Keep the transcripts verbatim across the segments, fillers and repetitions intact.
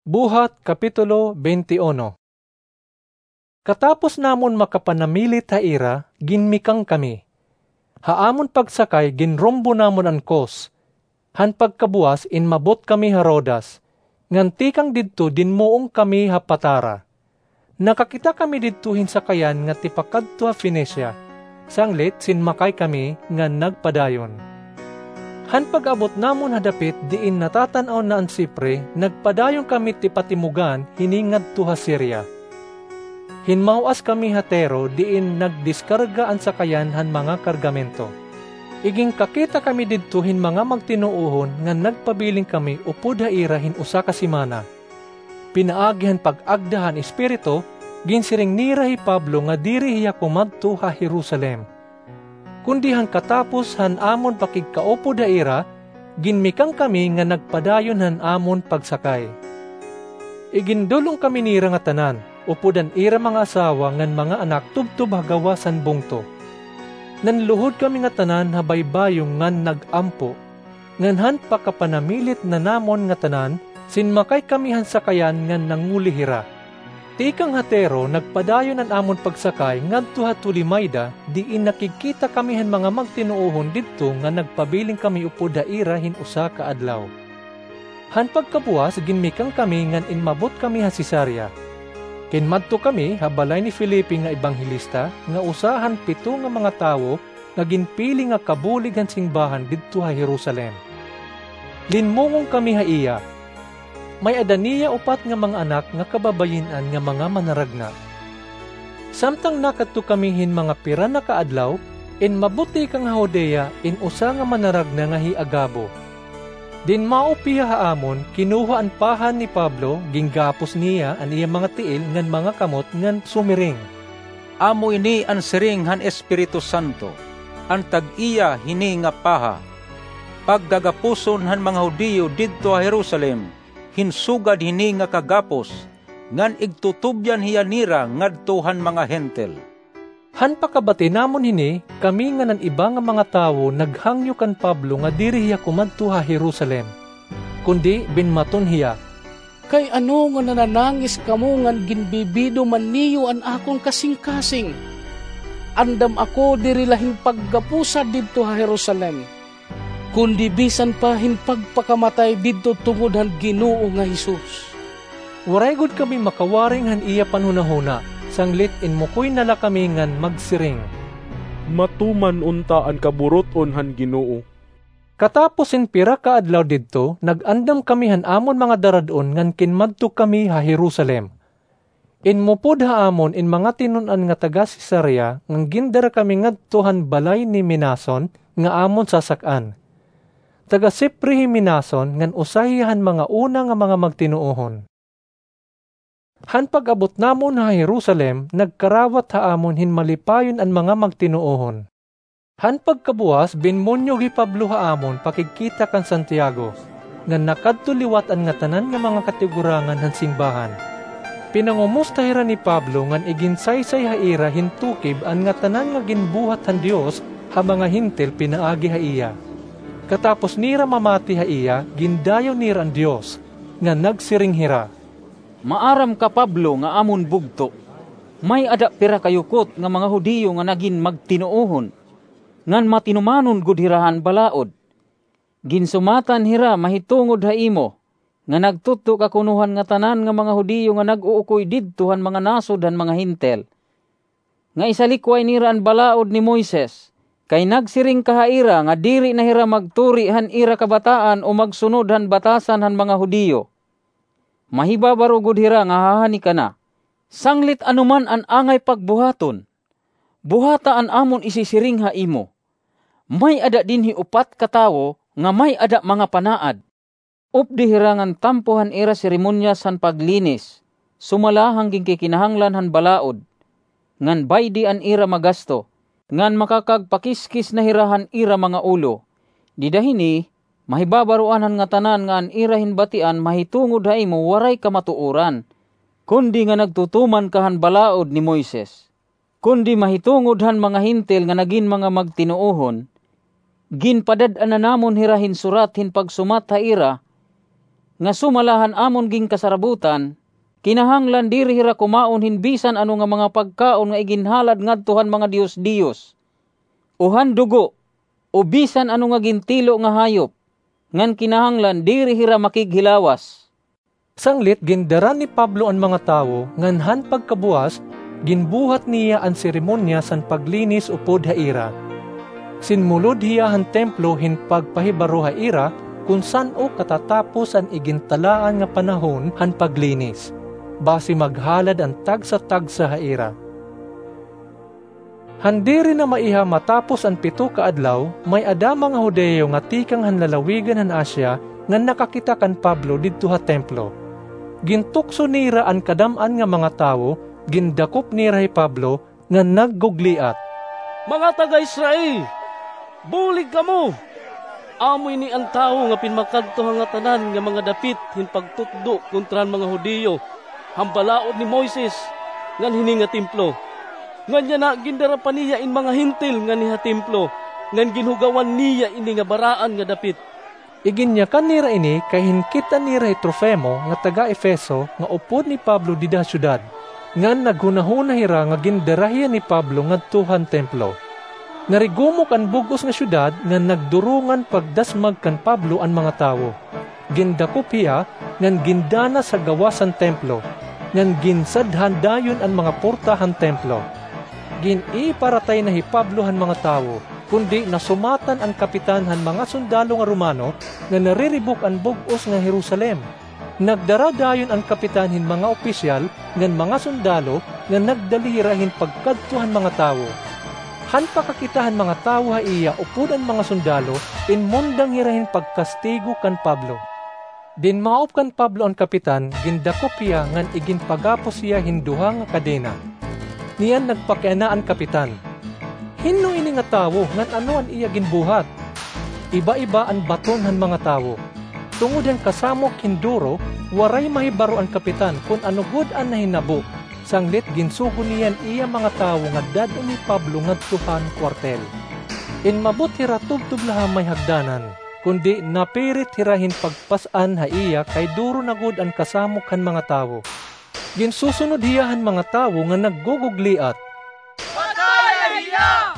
Buhat, Kapitulo twenty-one. Katapos namon makapanamilit ha ira, ginmikang kami. Ha amon pagsakay, ginrumbo namon an Cos. Han pagkabuwas, inmabot kami ha Rodas, ngan tikang didto dinmuong kami ha Patara. Nakakita kami didto hin sakayan nga tipakadto ha Fenicia, sanglit sinmakay kami ngan nagpadayon. Han pag-abot namon ha dapit diin natatan-aw na an Sipre, nagpadayon kami tipatimugan hini ngadto ha Siria. Hinmaw-as kami ha Tiro diin nagdiskarga an sakayan han mga kargamento. Iginkakita kami didto hin mga magtinuohon ngan nagpabilin kami upod ha ira hin usa ka semana. Pinaagi han pag-agda han Espiritu, ginsiring nira hi Pablo nga diri hiya kumadto ha Jerusalem. Kundi han katapos han amon pakigkaupod ha ira, ginmikang kami nga nagpadayon han amon pagsakay. Igindul-ong kami nira ngatanan, upod an ira mga asawa ngan mga anak tubtob ha gawas han bungto. Nanluhod kami ngatanan ha baybayon ngan nag-ampo. Ngan han pakapanamilit na namon ngatanan, sinmakay kami han sakayan ngan nanguli hira. Tikang ha Tiro, nagpadayon an amon pagsakay ngadto ha Tolemaida, diin nakigkita kami han mga magtinuohon didto nga nagpabilin kami upod ha ira hin usa ka adlaw. Han pagkabuwas, ginmikang kami ngan inmabot kami ha Cesarea. Kinmadto kami ha balay ni Felipe nga ebanghelista, nga usa han pito nga mga tawo nga ginpili nga kabulig han simbahan didto ha Jerusalem. Linmungong kami ha iya. May-ada niya upat nga mga anak nga kababayin-an nga mga manaragna. Samtang nakadto kami hin mga pira na ka adlaw, inmabot tikang ha Judea in usa nga manaragna nga hi Agabo. Dinmaop hiya ha amon, kinuha an pahan ni Pablo, ginggapos niya an iya mga tiil ngan mga kamot ngan sumiring, "Amo ini an siring han Espiritu Santo, an tag-iya hini nga paha. Paggagapuson han mga Judio didto ha Jerusalem hin sugad hini nga kagapos, ngan igtutubyan hiya nira ngadto han mga Hentil." Han pakabati namon hini, kami ngan an iba nga mga tawo naghangyo kan Pablo nga diri hiya kumadto ha Jerusalem. Kundi binmaton hiya, "Kay ano nga nananangis kamo ngan ginbibido man niyo an akon kasingkasing? Andam ako diri la hin paggapusa didto ha Jerusalem, kundi bisan pa hin pagpakamatay didto tungod han Ginoo nga Jesus." Waray gud kami makawaring han iya panhunahuna, sanglit inmukoy na la kami ngan magsiring, "Matuman unta an kaburut-on han Ginoo." Katapos hin pira ka adlaw didto, nag-andam kami han amon mga darad-on ngan kinmadto kami ha Jerusalem. Inmupod ha amon in mga tinun-an nga taga-Cesarea ngan gindara kami ngadto han balay ni Mnason nga amon sasak-an. Taga-Cipre hi Mnason ngan usa hiya han mga una nga mga magtinuohon. Han pag-abot namon ha Jerusalem, nagkarawat ha amon hin malipayon an mga magtinuohon. Han pagkabuwas, binmunyog hi Pablo ha amon pakigkita kan Santiago, ngan nakadto liwat an ngatanan nga mga katigurangan han simbahan. Pinangumusta hira ni Pablo ngan iginsaysay ha ira hin tukib an ngatanan nga ginbuhat han Dios ha mga Hentil pinaagi ha iya. Katapos nira mamati ha iya, gindayaw nira an Dios, ngan nagsiring hira, "Maaram ka, Pablo, nga amon bugto, may-ada pira ka yukot nga mga Judio nga nagin magtinuohon, ngan matinumanon gud hira han balaod. Ginsumatan hira mahitungod ha imo, nga nagtutdo ka kuno han ngatanan nga mga Judio nga nag-uukoy didto han mga nasod han mga Hentil, nga isalikway nira an balaod ni Moises, kay nagsiring ka ha ira nga diri na hira magturi han ira kabataan o magsunod han batasan han mga Judio. Mahibabaro gud hira nga hahani ka na. Sanglit ano man an angay pagbuhaton, buhata an amon isisiring ha imo. May-ada dinhi upat ka tawo nga may-ada mga panaad. Updi hira ngan tampo han ira seremonyas han paglinis, sumala han ginkikinahanglan han balaod, ngan baydi an ira magasto, ngan makakagpakiskis na hira han ira mga ulo. Dida hini, mahibabaroan han ngatanan nga an ira hinbatian mahitungod ha imo waray kamatuoran, kundi nga nagtutuman ka han balaod ni Moises. Kundi mahitungod han mga Hentil nga nagin mga magtinuohon, ginpadad-an na namon hira hin surat hin pagsumat ha ira nga sumala han amon ginkasarabutan, kinahanglan diri hira kumaon hin bisan ano nga mga pagkaon nga iginhalad ngadto han mga diyos-diyos, o han dugo, o bisan ano nga gintilo nga hayop, ngan kinahanglan diri hira makighilawas." Sanglit gindara ni Pablo an mga tawo, ngan han pagkabuas, ginbuhat niya an seremonyas han paglinis upod ha ira. Sinmulod hiya han templo hin pagpahibaro ha ira kon san-o katatapos an igintalaan nga panahon han paglinis, basi maghalad an tagsa-tagsa ha ira. Han diri na maiha matapos an pito ka adlaw, may-ada mga Judio nga tikang han lalawigan han Asia nga nakakita kan Pablo didto ha templo. Gintukso nira an kadam-an nga mga tawo, gindakop nira hi Pablo nga naggugliat, "Mga taga-Israel, bulig kamo! Amo ini an tawo nga pinmakadto ha ngatanan nga mga dapit hin pagtutdo kontra han mga Judio han balaod ni Moises ngan hini nga templo. Ngan yana gindara pa niya in mga Hentil nganhi ha templo, ngan ginhugawan niya ini nga baraan nga dapit." Iginyakan nira ini kay hinkit-an nira hi Trofimo nga taga-Efeso nga upod ni Pablo dida ha syudad, ngan naghunahuna hira nga gindara hiya ni Pablo ngadto han templo. Narigumok an bug-os nga syudad ngan nagdurongan pagdasmag kan Pablo an mga tawo. Gindakop hiya ngan gindanas ha gawas han templo, ngan ginsadhan dayon an mga porta han templo. Gin-iparatay na hi Pablo han mga tawo, kundi nasumatan an kapitan han mga sundalo nga Romano nga nariribok an bug-os nga Jerusalem. Nagdara dayon an kapitan hin mga opisyal ngan mga sundalo nga nagdali hira hin pagkadto han mga tawo. Han pakakita han mga tawo ha iya upod an mga sundalo, inmundang hira hin pagkastigo kan Pablo. Dinmaop kan Pablo an kapitan, gindakop hiya ngan iginpagapos hiya hin duha nga kadena. Niyan nagpakiana an kapitan, "Hin-o ini nga tawo ngan ano an iya ginbuhat?" Iba-iba an baton han mga tawo. Tungod han kasamok hin duro, waray mahibaro an kapitan kon ano gud an nahinabo. Sanglit ginsugo niya an iya mga tawo nga dad-on hi Pablo ngadto han kuwartel. Inmabot hira tubtob la ha may hagdanan, kundi napirit hira hin pagpas-an ha iya kay duro na gud an kasamok han mga tawo. Ginsusunod hiya han mga tawo nga naggugugliat, "Pataya hiya!"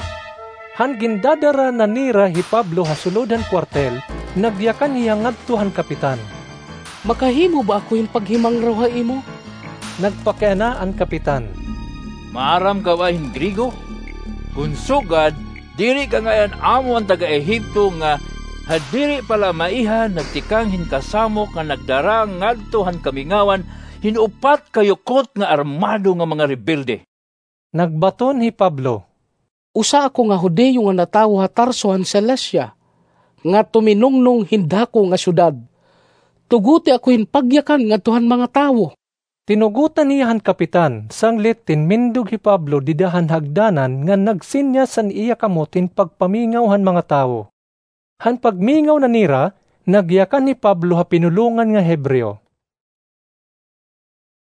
Han gindadara na nira hi Pablo ha sulod han kuwartel, nagyakan hiya ngadto han kapitan. "Makahimo ba ako hin paghimangraw ha imo?" Nagpakiana an kapitan, "Maaram ka ba hin Griego? Kon sugad, diri ka ngay-an amo an taga-Ehipto nga ha diri pa la maiha nagtikang hin kasamok nga nagdara ngadto han kamingawan hin upat ka yukot nga armado nga mga rebelde?" Nagbaton hi Pablo, "Usa ako nga Judio nga natawo ha Tarso han Cilicia, nga tuminungnong hin dako nga syudad. Tugoti ako hin pagyakan ngadto han mga tawo." Tinugotan hiya han kapitan, sanglit tinmindog hi Pablo dida han hagdanan ngan nagsinyas han iya kamot hin pagpamingaw han mga tawo. Han pagmingaw na nira, nagyakan hi Pablo ha pinulongan nga Hebreo,